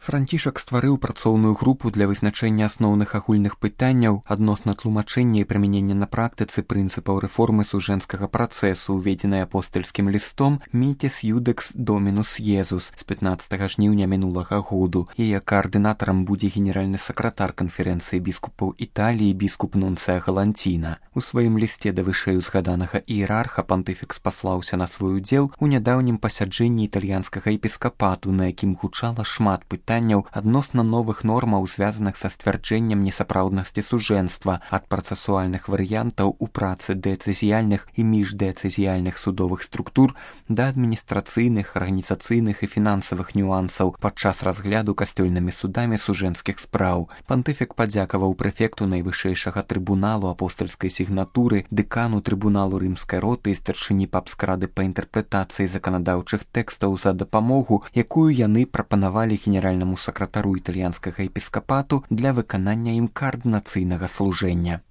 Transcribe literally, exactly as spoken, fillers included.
Францішак стварыў працоўную групу для вызначэння асноўных агульных пытанняў адносна тлумачэння і прымянення на практыцы прынцыпаў рэформы сужэнскага працэсу, уведзенай апостальскім лістом «Мітіс Юдекс Домінус Езус» з пятнаццатага жніўня мінулага году. Яе каардынатарам будзе генеральны сакратар канферэнцыі біскупаў Італіі біскуп Нунцыя Галанціна. У сваім лісце да вышэйузгаданага іерарха пантыфік спаслаўся на свой удзел у нядаўнім пасяджэнні італьянскага епіскапату, на якім гучала шмат пытанняў адносна новых нормаў, звязаных са сцвярджэннем несапраўднасці сужэнства, ад працэсуальных варыянтаў у працы дэцызіяльных і міждэцызіяльных судовых структур да адміністрацыйных, арганізацыйных і фінансавых нюансаў падчас разгляду касцёльнымі судамі сужэнскіх спраў. Пантыфік падзякаваў прэфекту найвышэйшага трыбуналу апостальскай сігнатуры, дэкану трыбуналу рымскай роты і старшыні папскай рады па інтэрпрэтацыі заканадаўчых тэкстаў за дапамогу, якую яны прапанавалі генеральнаму сакратару італьянскага епіскапату для выканання ім каардынацыйнага служэння.